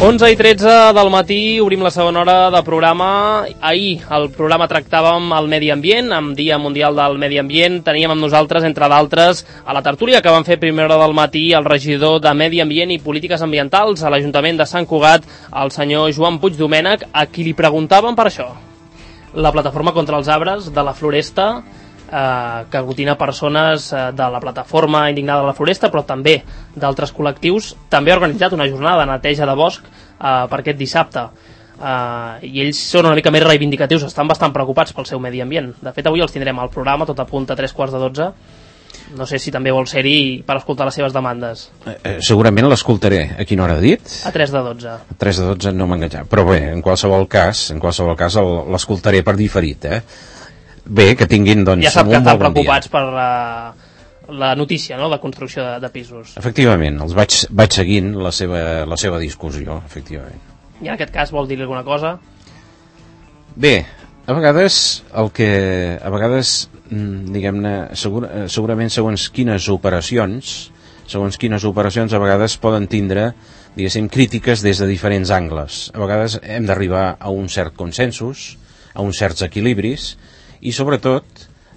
11:13 del matí, obrim la segona hora de programa. Ahir el programa tractàvem el medi ambient, amb Dia Mundial del Medi Ambient. Teníem amb nosaltres, entre d'altres, a la tertúlia que van fer a primera hora del matí el regidor de Medi Ambient i Polítiques Ambientals a l'Ajuntament de Sant Cugat, el senyor Joan Puig Domènech, a qui li preguntàvem per això. La plataforma contra els arbres de la Floresta, que aglutina persones de la plataforma indignada de la Floresta, però també d'altres col·lectius, també ha organitzat una jornada de neteja de bosc per aquest dissabte, i ells són una mica més reivindicatius, estan bastant preocupats pel seu medi ambient. De fet, avui els tindrem al programa, tot a punt a 11:45. No sé si també vol ser-hi per escoltar les seves demandes. Segurament l'escoltaré. A quina hora ha dit? A 11:45. A 11:45 no m'ha enganxat, però bé, en qualsevol cas l'escoltaré per diferit, Bé, que tinguin, doncs, ja sap que estan preocupats per la notícia, no?, de construcció de pisos. Efectivament, els vaig seguint la seva discussió, efectivament. I en aquest cas vol dir alguna cosa? Bé, a vegades diguem-ne, segurament segons quines operacions a vegades poden tindre, diguéssim, crítiques des de diferents angles. A vegades hem d'arribar a un cert consensos, a uns certs equilibris, i sobretot,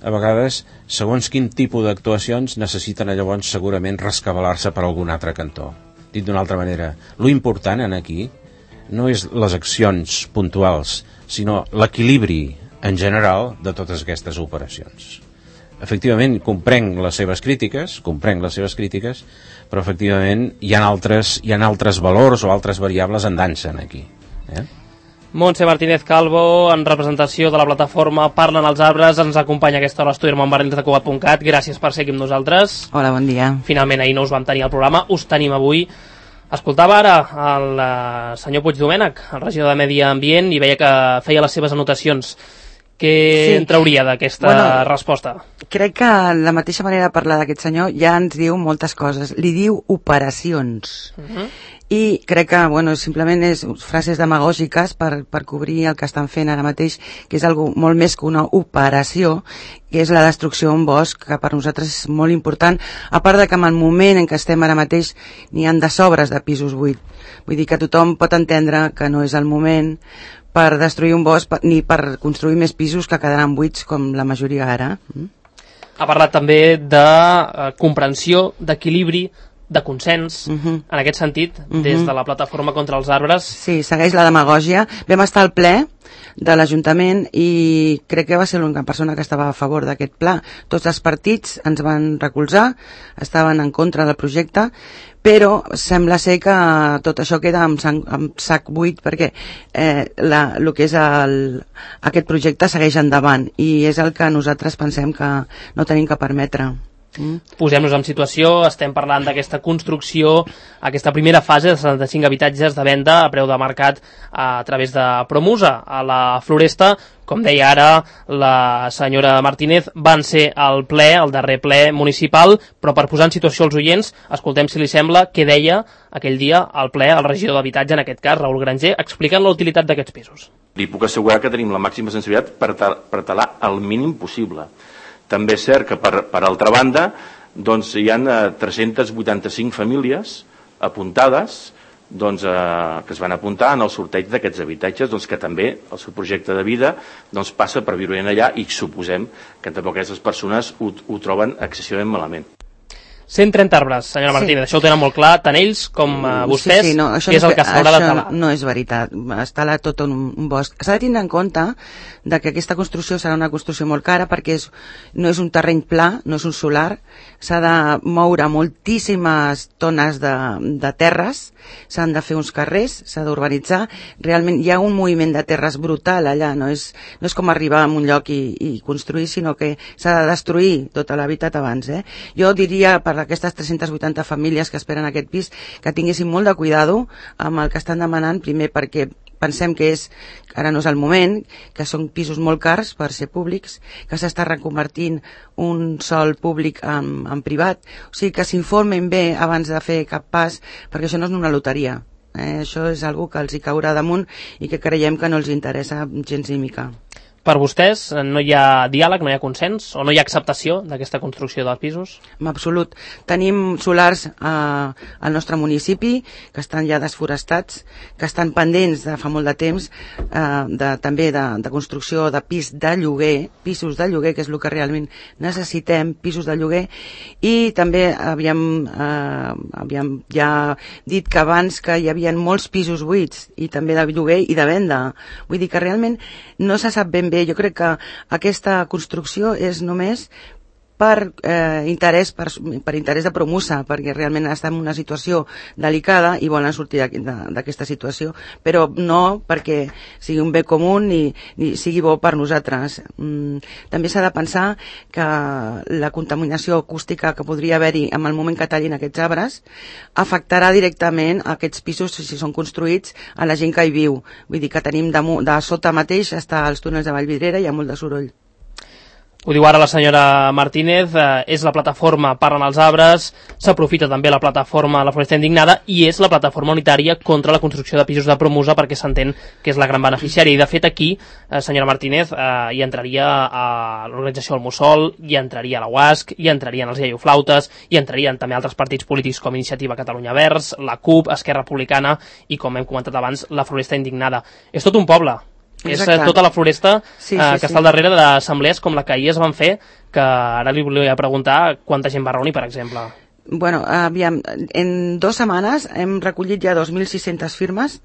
a vegades, segons quin tipus d'actuacions necessiten llavors segurament rescabalar-se per algun altre cantó. Dit d'una altra manera, lo important aquí no és les accions puntuals, sinó l'equilibri en general de totes aquestes operacions. Efectivament, comprenc les seves crítiques, però efectivament hi ha altres valors o altres variables en dansa aquí. Montse Martínez Calvo, en representació de la plataforma Parlen els arbres, ens acompanya a aquesta hora a l'estudi amb barrils.cugat.cat. Gràcies per ser aquí amb nosaltres. Hola, bon dia. Finalment ahir no us vam tenir al programa, us tenim avui. Escoltava ara el senyor Puig Domènech, el regidor de Medi Ambient, i veia que feia les seves anotacions. Què en trauria d'aquesta resposta? Crec que la mateixa manera de parlar d'aquest senyor ja ens diu moltes coses. Li diu operacions. I crec que, simplement és frases demagògiques per cobrir el que estan fent ara mateix, que és algo molt més que una operació, que és la destrucció d'un bosc, que per nosaltres és molt important, a part de que en el moment en què estem ara mateix n'hi ha de sobres de pisos buits. Vull dir que tothom pot entendre que no és el moment per destruir un bosc ni per construir més pisos que quedaran buits com la majoria ara. Ha parlat també de comprensió, d'equilibri, de consens, en aquest sentit, des de la plataforma contra els arbres. Sí, segueix la demagògia. Vam estar al ple de l'Ajuntament i crec que va ser l'única persona que estava a favor d'aquest pla. Tots els partits ens van recolzar, estaven en contra del projecte, però sembla ser que tot això queda amb sac buit perquè el que és aquest projecte segueix endavant i és el que nosaltres pensem que no tenim que permetre. Posem-nos en situació, estem parlant d'aquesta construcció, aquesta primera fase de 75 habitatges de venda a preu de mercat a través de Promusa a la Floresta. Com deia ara la senyora Martínez, van ser al ple, el darrer ple municipal, però per posar en situació els oients, escoltem, si li sembla, què deia aquell dia al ple el regidor d'habitatge, en aquest cas, Raül Granger, explicant la utilitat d'aquests pisos. Li puc assegurar que tenim la màxima sensibilitat per talar el mínim possible. També és cert que, per altra banda, doncs, hi ha 385 famílies apuntades que es van apuntar en el sorteig d'aquests habitatges, que també el seu projecte de vida passa per viure allà i suposem que tampoc aquestes persones ho troben excessivament malament. 130 arbres, senyora Martínez, això ho tenen molt clar, tant ells com vostès, que és el que s'haurà de talar. Això no és veritat, es tala tot un bosc. S'ha de tindre en compte que aquesta construcció serà una construcció molt cara perquè no és un terreny pla, no és un solar, s'ha de moure moltíssimes tones de terres, s'han de fer uns carrers, s'ha d'urbanitzar, realment hi ha un moviment de terres brutal allà, no és com arribar a un lloc i construir, sinó que s'ha de destruir tot l'hàbitat abans. Jo diria per aquestes 380 famílies que esperen aquest pis que tinguessin molt de cuidado amb el que estan demanant, primer perquè pensem que ara no és el moment, que són pisos molt cars per ser públics, que s'està reconvertint un sòl públic en privat, o sigui que s'informen bé abans de fer cap pas, perquè això no és una loteria. Això és algo que els hi caurà damunt i que creiem que no els interessa gens ni mica. Per vostès no hi ha diàleg, no hi ha consens o no hi ha acceptació d'aquesta construcció dels pisos? En absolut. Tenim solars al nostre municipi que estan ja desforestats, que estan pendents de fa molt de temps també de construcció de pisos de lloguer, que és el que realment necessitem, pisos de lloguer, i també havíem ja dit que abans que hi havia molts pisos buits i també de lloguer i de venda. Vull dir que realment no se sap ben bé. Jo crec que aquesta construcció és només per interès de Promusa, perquè realment està en una situació delicada i volen sortir d'aquesta situació, però no perquè sigui un bé comú ni sigui bo per nosaltres. També s'ha de pensar que la contaminació acústica que podria haver-hi en el moment que tallin aquests arbres afectarà directament aquests pisos, si són construïts, a la gent que hi viu. Vull dir que tenim de sota mateix està als túnels de Vallvidrera i hi ha molt de soroll. Ho diu ara la senyora Martínez, és la plataforma Parlen els Arbres, s'aprofita també la plataforma La Floresta Indignada i és la plataforma unitària contra la construcció de pisos de Promusa, perquè s'entén que és la gran beneficiària. I de fet aquí, senyora Martínez, hi entraria a l'organització del Mussol, hi entraria la UASC, hi entrarien els iaioflautes, hi entrarien també altres partits polítics com Iniciativa Catalunya Verds, la CUP, Esquerra Republicana i, com hem comentat abans, La Floresta Indignada. És tot un poble. Exacte. És tota la floresta que està al darrere d'assemblees com la que ahir es van fer, que ara li volia preguntar quanta gent va reunir, per exemple. Bueno, aviam, en 2 setmanes hem recollit ja 2.600 firmes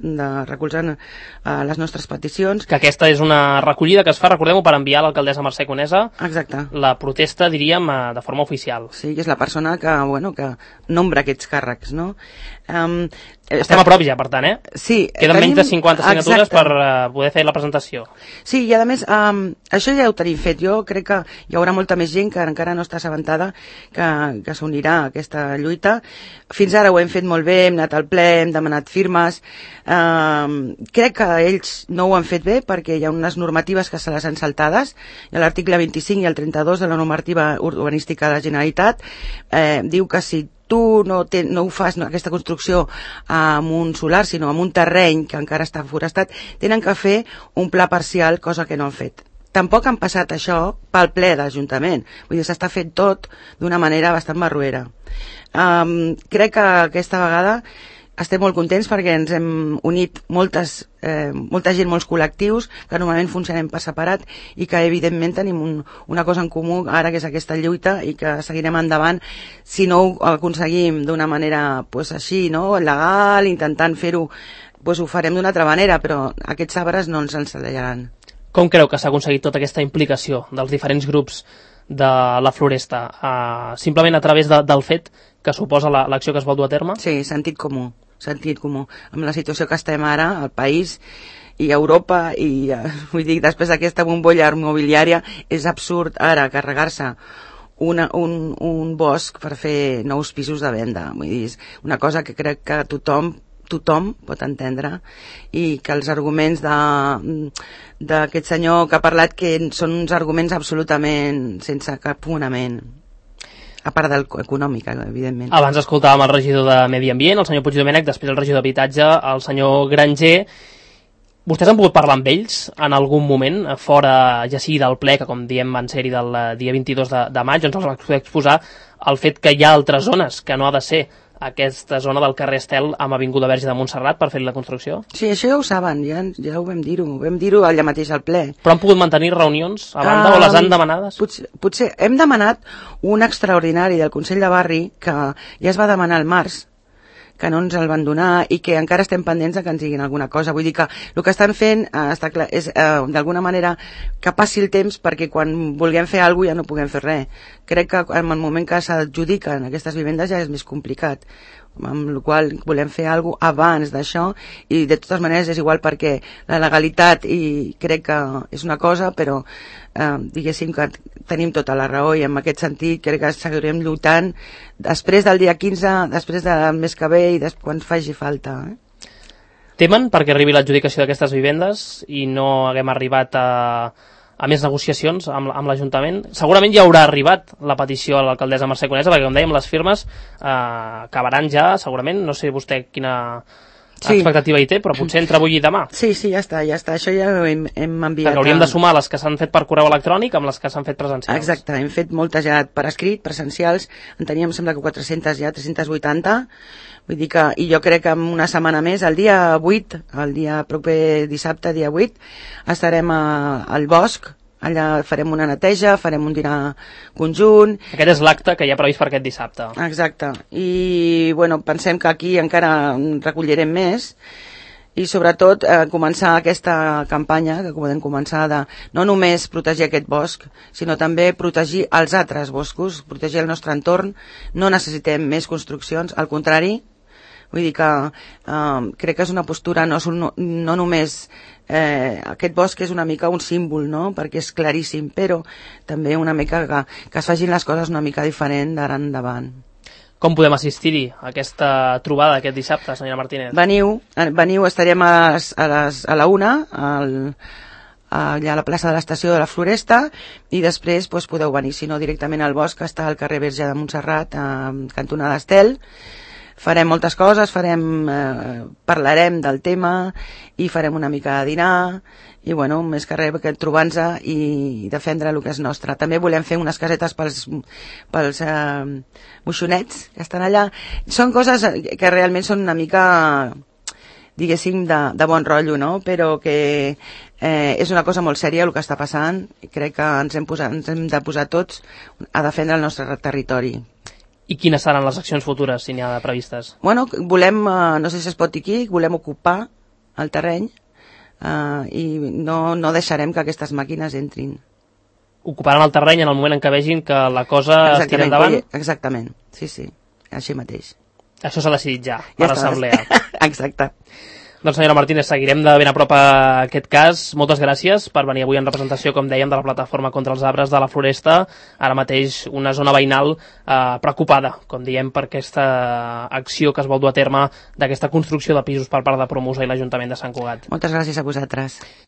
recolzant les nostres peticions. Que aquesta és una recollida que es fa, recordem-ho, per enviar a l'alcaldessa Mercè Conesa. Exacte. La protesta, diríem, de forma oficial. Sí, és la persona que nombra aquests càrrecs, no? Estem a prop ja, per tant, Sí. Queden menys de 50 signatures per poder fer la presentació. Sí, i a més, això ja ho tenim fet. Jo crec que hi haurà molta més gent que encara no està assabentada que s'unirà a aquesta lluita. Fins ara ho hem fet molt bé, hem anat al ple, hem demanat firmes. Crec que ells no ho han fet bé perquè hi ha unes normatives que se les han saltades. L'article 25 i el 32 de la normativa urbanística de la Generalitat diu que si tu no ho fas, aquesta construcció amb un solar, sinó amb un terreny que encara està forestat, tenen que fer un pla parcial, cosa que no han fet. Tampoc han passat això pel ple de l'Ajuntament. Vull dir, s'està fent tot d'una manera bastant barruera. Crec que aquesta vegada estem molt contents perquè ens hem unit molta gent, molts col·lectius que normalment funcionem per separat i que evidentment tenim una cosa en comú ara, que és aquesta lluita, i que seguirem endavant. Si no ho aconseguim d'una manera així, no, legal, intentant fer-ho, ho farem d'una altra manera, però aquests arbres no ens ensellaran. Com creu que s'ha aconseguit tota aquesta implicació dels diferents grups de la Floresta? Simplement a través del fet que suposa l'acció que es vol dur a terme? Sí, sentit comú. Amb la situació que estem ara al país i a Europa, i vull dir, després d'aquesta bombolla immobiliària és absurd ara carregar-se un bosc per fer nous pisos de venda. Vull dir, és una cosa que crec que tothom pot entendre, i que els arguments d'aquest senyor que ha parlat, que són uns arguments absolutament sense cap fonament, a part del econòmic, evidentment. Abans escoltàvem el regidor de Medi Ambient, el senyor Puigdomènech, després el regidor d'Habitatge, el senyor Granger. Vostès han pogut parlar amb ells en algun moment, fora ja sigui del ple, que com diem van ser-hi del dia 22 de maig, on els va exposar el fet que hi ha altres zones, que no ha de ser aquesta zona del carrer Estel amb Avinguda Verge de Montserrat per fer la construcció? Sí, això ja ho saben, ja ho vam dir-ho allà mateix al ple. Però han pogut mantenir reunions a banda o les han demanades? Potser hem demanat un extraordinari del Consell de Barri que ja es va demanar al març, que no ens el van donar i que encara estem pendents de que ens diguin alguna cosa. Vull dir que el que estan fent està clar, és d'alguna manera que passi el temps perquè quan vulguem fer alguna cosa ja no puguem fer res. Crec que en el moment que s'adjudiquen aquestes vivendes ja és més complicat, amb la qual volem fer alguna cosa abans d'això, i de totes maneres és igual perquè la legalitat i crec que és una cosa, però diguéssim que tenim tota la raó, i en aquest sentit crec que seguirem lluitant després del dia 15, després del mes que ve i quan faci falta. Temen perquè arribi l'adjudicació d'aquestes vivendes i no haguem arribat a més negociacions amb l'Ajuntament? Segurament ja haurà arribat la petició a l'alcaldessa Mercè Conesa, perquè com dèiem les firmes acabaran ja segurament, no sé vostè quina Sí. Expectativa hi té, però potser entre avui i demà. Sí, ja està. Això ja ho hem enviat. Perquè hauríem de sumar les que s'han fet per correu electrònic amb les que s'han fet presencials. Exacte, hem fet moltes ja per escrit, presencials, en teníem, sembla que 400 ja, 380, vull dir que, i jo crec que en una setmana més, el dia 8, el dia proper dissabte, dia 8, estarem al bosc. Allà farem una neteja, farem un dinar conjunt. Aquest és l'acte que hi ha previst per aquest dissabte. Exacte. I, bueno, pensem que aquí encara recollirem més i, sobretot, començar aquesta campanya, que podem començar de no només protegir aquest bosc, sinó també protegir els altres boscos, protegir el nostre entorn. No necessitem més construccions, al contrari. Vull dir que crec que és una postura no només aquest bosc és una mica un símbol, no? Perquè és claríssim, però també una mica que es facin les coses una mica diferent d'ara endavant. Com podem assistir-hi a aquesta trobada aquest dissabte, senyora Martínez? Veniu, estarem a la 1 allà a la plaça de l'estació de la Floresta, i després podeu venir, si no, directament al bosc, que està al carrer Verge de Montserrat, cantonada Estel. Farem moltes coses, parlarem del tema i farem una mica de dinar i, bueno, més que res, trobant-nos i defendre el que és nostre. També volem fer unes casetes pels moixonets que estan allà. Són coses que realment són una mica, diguéssim, de bon rotllo, no? Però que és una cosa molt sèria el que està passant i crec que ens hem de posar tots a defendre el nostre territori. I quines seran les accions futures, si n'hi ha previstes? Bueno, volem, no sé si es pot dir aquí, volem ocupar el terreny i no deixarem que aquestes màquines entrin. Ocuparan el terreny en el moment en què vegin que la cosa es tira endavant? Exactament, sí, així mateix. Això s'ha decidit ja, per l'assemblea. Exacte. Doncs, senyora Martínez, seguirem de ben a prop a aquest cas. Moltes gràcies per venir avui en representació, com dèiem, de la Plataforma contra els Arbres de la Floresta. Ara mateix una zona veïnal preocupada, com diem, per aquesta acció que es vol dur a terme d'aquesta construcció de pisos per part de Promusa i l'Ajuntament de Sant Cugat. Moltes gràcies a vosaltres.